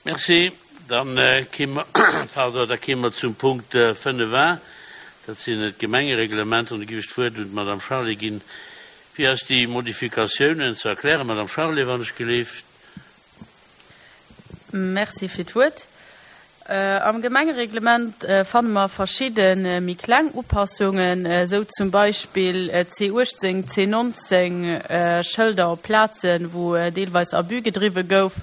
Merci. Dann kéime mer zum Punkt 5 a, dat sinn d'Gemengereglementer. An do géif ech d'Wuert un d'Madame Charlé ginn, fir eis déi Modifikatiounen ze erklären. Madame Charlé, wann ech geleeft. Merci fir d'Wuert. Am Gemengereglement fanne mer verschidde méi kleng Upassungen, esou zum Beispill C18, C19 Schëlder op Plazen, wou deelweis Abus gedriwwe gouf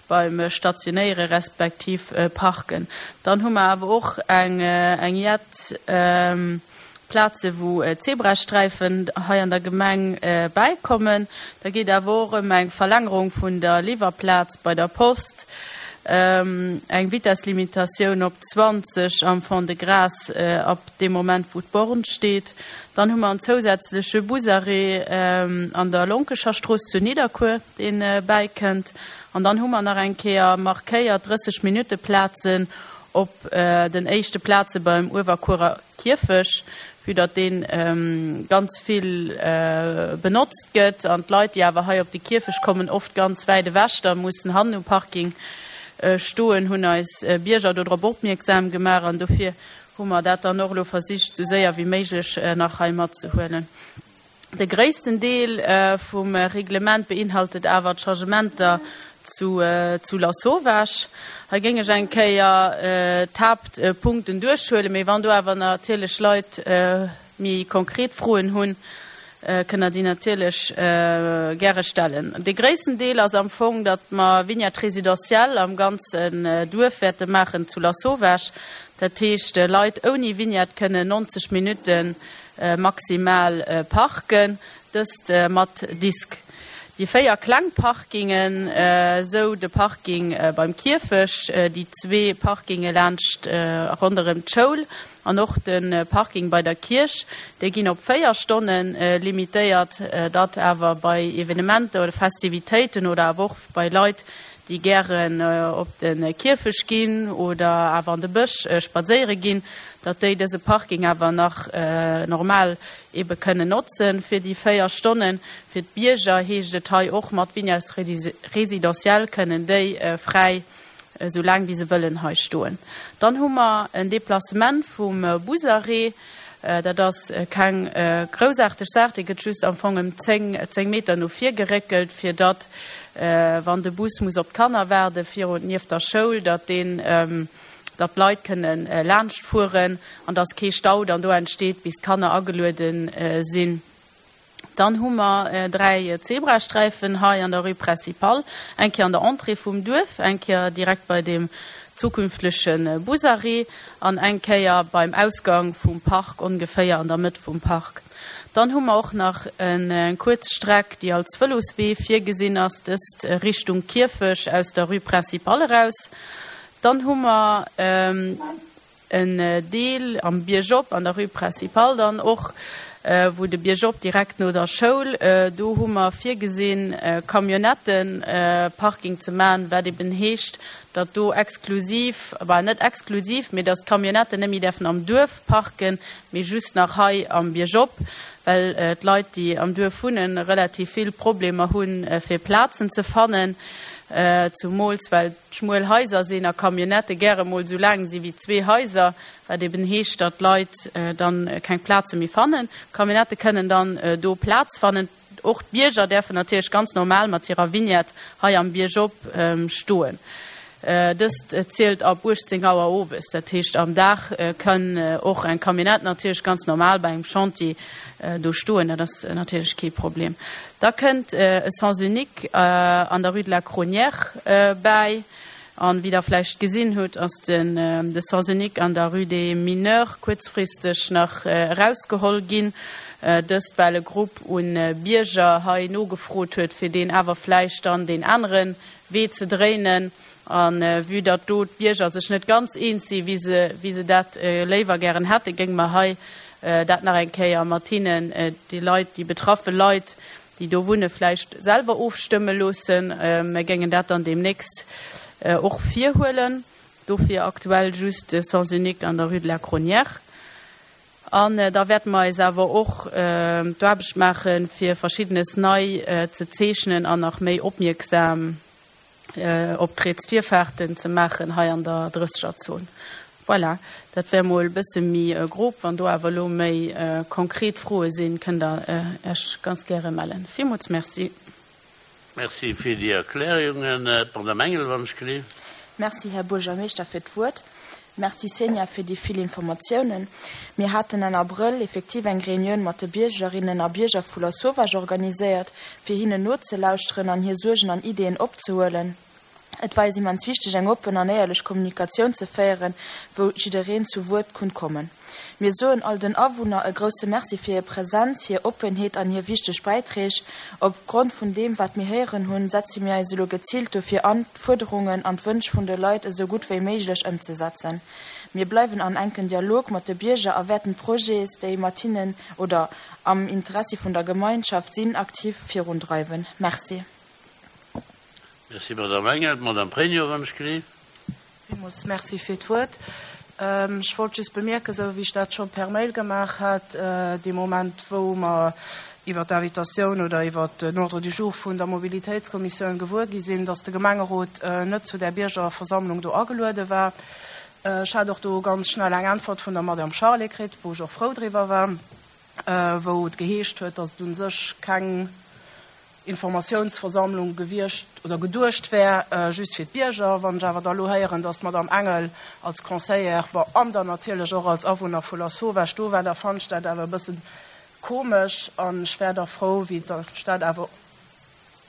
beim Stationéiere respektiv Parken. Dann hu mer awer och eng jett Plaze wou Zebrasträifen hei an der Gemeng bäikommen. Da geet awer och ëm eng Verlängerung vun der Liwwerplaz bei der Post, eng Vitesslimitatioun op 20 am Fond-de-Gras ab deem Moment wou d'Born steet. Dann hu mer en zousätzleche Busarrêt an der Lonkecherstrooss zu Nidderkuer, dee bäikënnt. An dann hu mer nach eng Kéier markéiert 30 Minutte Plazen op den éischte Plaze beim Uewerkuerer Kierfech, vue datt dee ganz vill benotzt gëtt an d'Leit, déi awer hei op de Kierfech kommen, oft ganz wäit ewech da mussen hannen um Parking stoen, hunn eis Bierger do drop opmierksam gemaach an dofir hu mer dat dann och elo versicht, esou séier wéi méiglech nach hei matzehuelen. De gréissten Deel vum Reglement beinhaltet awer d'Changementer zu Lasauvage. Hei géing ech eng Kéier d'Haaptpunkten duerchhuelen, mee wann do awer natierlech Leit méi konkret Froen hunn, kënnt Der déi natierlech gäre stellen. De gréissten Deel ass am Fong, datt mer Vignette résidentielle am ganzen Duerf wäerte maachen zu Lasauvage. Dat heescht, Leit ouni Vignette kënnen 90 Minutten maximal parken, dëst mat Disk. Déi 4 kleng Parkingen, esou de Parking beim Kierfech, déi zwee Parkinge laanscht ronderëm d'Schoul an och de Parking bei der Kierch, déi ginn op 4 Stonne limitéiert, datt awer bei Evenementer oder Festivitéiten oder awer och bei Leit, déi gären op de Kierfech ginn oder awer an de Bësch spadséiere ginn, datt déi dëse Parking awer nach normal ebe kënnen notzen fir déi 4 Stonnen. Fir d'Bierger heescht et hei och mat Vignette résidentielle kënnen déi fräi esou laang wéi se wëllen hei stoen. Dann hu mer en Déplacement vum Busarrêt. Dat ass keng groussaarteg Saach, dee gëtt just am Fong ëm 10, 10 Meter no vir geréckelt, fir datt, wann de Bus muss op d'Kanner waarde virun, nieft der Schoul, datt deen, datt d'Leit kënne laanscht fueren an datt kee Stau dann do entsteet, bis d'Kanner ageluede sinn. Dann hu mer 3 Zebrasträifen hei an der Rue Principale, eng Kéier an der Entrée vum Duerf, eng Kéier direkt bei dem zukünftleche Busarrêt an eng Kéier beim Ausgang vum Park, ongeféier an der Mëtt vum Park. Dann hu mer och nach eng kuerz Streck, déi als Vëloswee virgesinn ass, dëst Richtung Kierfech aus der Rue Principale eraus. Dann hu mer En Deel am Biergop an der Rue Principale dann och, wou de Biergop direkt no der Schoul, do hu mer virgesinn, Camionnettenparking ze maachen, wat eben heescht, datt do exklusiv, bah net exklusiv, mee datt d'Camionnetten net méi däerfen am Duerf parken, mee just nach hei am Biergop, well d'Leit, déi am Duerf wunnen, relativ vill Problemer hunn, fir Plazen ze fannen, zumools well schmuel Haiser sinn a Camionnettë gäre mol esou laang si wéi zwee Haiser, wat eben heescht, datt d'Leit dann keng Plaze méi fannen. D'Camionnettë kënnen dann do Plaz fannen. Och d'Bierger däerfen natierlech ganz normal mat hirer Vignette hei am Biergop stoen. Dëst zielt ab 18 Auer owes. Dat heescht, am Dag kann och eng Camionnette natierlech ganz normal bei engem Chantier do stoen. Dat ass natierlech kee Problem. Da kënnt e Sens unique an der Rue de la Cronière bäi. An wéi Der vläicht gesinn hutt, ass den de Sens unique an der Rue des Mineurs kuerzfristeg nach erausgeholl ginn. Dëst well e Grupp un Bierger hei nogefrot huet, fir deen awer vläicht dann deen anere Wee ze dréinen. A vue datt do d'Bierger sech net ganz eens si wéi se wéi se dat léiwer gären hätten, géinge mer hei dat nach eng Kéier mat hinnen, déi Leit, déi betraffe Leit, déi do wunne vläicht selwer ofstëmme loossen. Mer géingen dat dann deemnächst och virhuelen. Dofir aktuell just de Sens unique an der Rue de la Cronière. An da wäerte mer eis awer och d'Aarbecht maachen, fir Verschiddenes nei ze zeechnen an nach méi opmierksam. Optreetsvirfaarten ze maachen hei an der Drëssegerzon. Voilà, dat wär mol e bësse méi grob. Wann do awer elo méi konkret Froe sinn, kënnt Der Iech ganz gäre mellen. Villmools Merci. Merci fir déi Erklärungen. D'Madame Engel, wann ech gelift. Merci, Här Buergermeeschter, fir d'Wuert. Merci, Xenia, fir déi vill Informatiounen. Mir haten Enn Abrëll effektiv eng Reunioun mat de Biergerinnen a Bierger vu Lasauvage organiséiert, fir hinnen nozelauschteren an hir Suergen an Ideeën opzehuelen. Et war eis immens wichteg, eng oppen an éierlech Kommunikatioun ze féieren, wou jiddereen zu Wuert konnt kommen. Mir soen all den Awunner e grousse Merci fir hir Präsenz, hir Oppenheet an hir wichteg Bäiträg. Op Grond vun deem, wat mir héieren hunn, setze mir eis elo geziilt dofir an, d'Fuerderungen an d'Wënsch vun de Leit esou gutt wéi méiglech ëmzesetzen. Mir bleiwen an enken Dialog mat de Bierger a wäerten d'Projets, déi mat hinnen oder am Interessi vun der Gemeinschaft sinn, aktiv virundreiwen. Merci. Merci, Madame Engel. D'Madame Pregno, wann ech gelift. Villmools Merci fir d'Wuert. Ech wollt just bemierken, esou wéi ech dat scho per Mail gemaach hat, dee Moment, wou mer iwwert d'Invitatioun oder iwwert den Ordre du jour vun der Mobilitéitskommissioun gewuer gi sinn, dass de Gemengerot net zu där Biergerversammlung do ageluede war. Ech hat och do ganz schnell eng Äntwert vun der Madame Charlé kritt, wou ech och frou driwwer war, wou et geheescht huet, dass et u sech keng Informatiounsversammlung gewiescht oder geduecht wär just fir d'Bierger. Wann ech awer da lo héieren, dass d'Madame Engel als Conseillère, bon, an dann natierlech och als Awunner vu Lasauvage do war, da fannen ech dat awer e bësse komesch an ech wär da frou, wéi ech dat awer,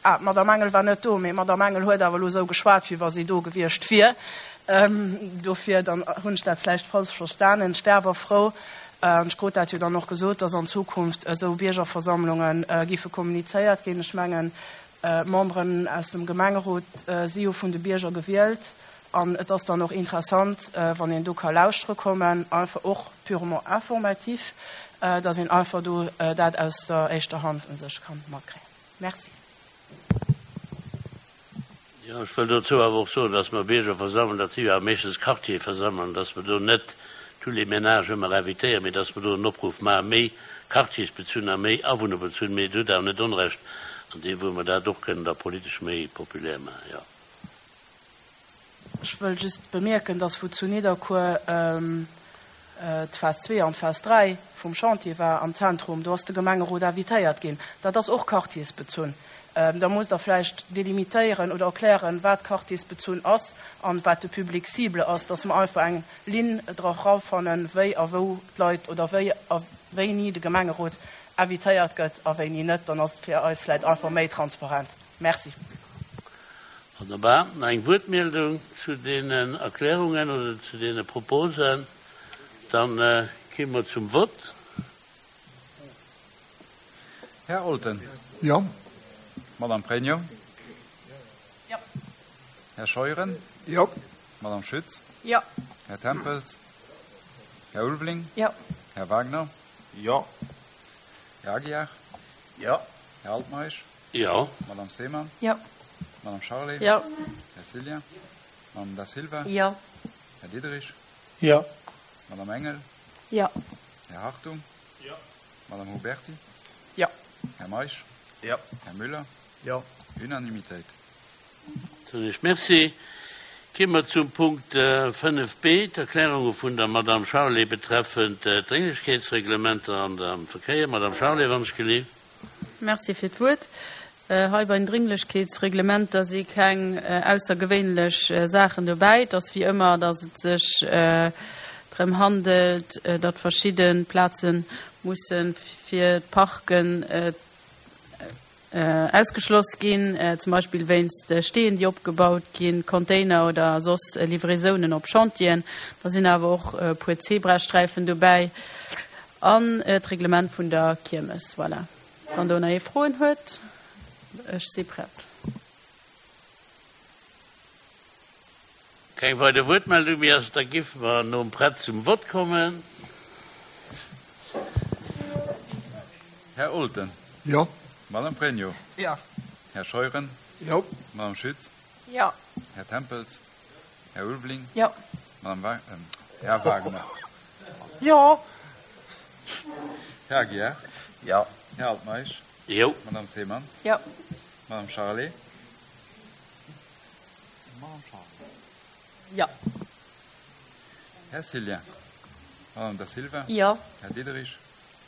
ah, d'Madame Engel war net do, mee d'Madame Engel huet awer elo esou geschwat, wéi wa si do gewiescht wier. Dofir, dann hunn ech dat vläicht falsch verstanen. Ech wär awer frou, An ech krut dat jo dann och gesot, dass an Zukunft esou Biergerversammlunge giffe kommunizéiert ginn. Ech mengen, d'Memberen aus dem Gemengerot si jo vun de Bierger gewielt an et ass dann och interessant, wann een do ka lauschtere kommen, einfach och purement informatif, dass een einfach do dat aus der éischter Hand u sech ka matkréien. Merci. Jo, ech wëll dozou awer och soen, dass mer Biergerversammlungen, dat si jo awer meeschtens Quartierversammlungen, dass mer do net tous les ménages ëmmer invitéieren, mee dass mer do en Opruff maachen, méi quartiersbezunn a méi awunnerbezunn. Mee et huet awer net Onrecht an deem, wou mer dat och kënnen da politesch méi populär maachen, jo. Ech wëll just bemierken, dass wou zu Nidderkuer d'Phas 2 an d'Phas 3 vum Chantier war am Zentrum, do ass de Gemengerot invitéiert ginn. Dat ass och quartiersbezunn. Da musst Der vläicht delimitéieren oder erklären, wat quartiersbezunn ass an wat de Public cible ass, dass mer einfach eng Linn dra rafannen, wéi a wou d'Leit oder wéi a wéini de Gemengerot invitéiert gëtt a wéini net. Dann ass et fir eis vläicht einfach méi transparent. Merci. Wonnerbar. Nach eng Wuertmeldung zu deenen Erklärungen oder zu deene Proposen? Dann gi mer zum Vott. Här Olten. Jo. Madame Pregno. Jo. Här Scheuren. Jo. Madame Schütz. Jo. Här Tempels. Här Ulveling. Jo. Här Wagner. Jo. Här Aguiar. Jo. Här Altmeisch. Jo. Madame Seemann. Jo. Madame Charlé. Jo. Här Cillien. Madame Da Silva. Jo. Här Diderich. Jo. Madame Engel. Jo. Här Hartung. Jo. Madame Huberty. Jo. Här Meisch. Jo. Här Müller. Jo. Unanimitéit. Soen ech Merci. Gi mer zum Punkt 5 b, d'Erklärunge vun der Madame Charlé betreffend d'Drénglechkeetsreglementer an am Verkéier. Madame Charlé, wann ech gelift. Merci fir d'Wuert. Hei bei den Dringlechkeetsreglementer si keng aussergewéinlech Saachen dobäi. Et ass wéi ëmmer, datt et sech drëm handelt, datt verschidde Plaze musse fir d'Parken ausgeschloss ginn, zum Beispill wéinst Steen, déi opgebaut ginn, Container oder soss Livraisounen op Chantieren. Da sinn awer och e puer Zebrasträifen dobäi an d'Reglement vun der Kiermes. Voilà. Wann do nach ee Froen huet, ech si prett. Keng weider Wuertmeldung méi ass, da géife mer nom Prett zum Vott kommen. Här Olten. Jo. Madame Pregno. Jo. Här Scheuren. Jo. Madame Schütz. Jo. Här Tempels. Här Ulveling. Jo. Madame Wa-, Här Wagner. Jo. Här Aguiar. Jo. Här Altmeisch. Jo. Madame Seemann. Jo. Madame Charlé. Madame Charlé. Jo. Här Cillien. Madame Da Silva. Jo. Här Diderich.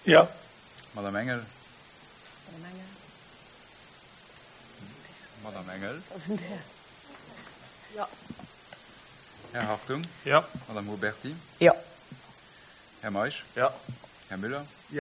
Jo. Madame Engel. Madame Engel. Madame Engel. Jo. Här Hartung. Jo. Madame Huberty. Jo. Här Meisch. Jo. Här Müller.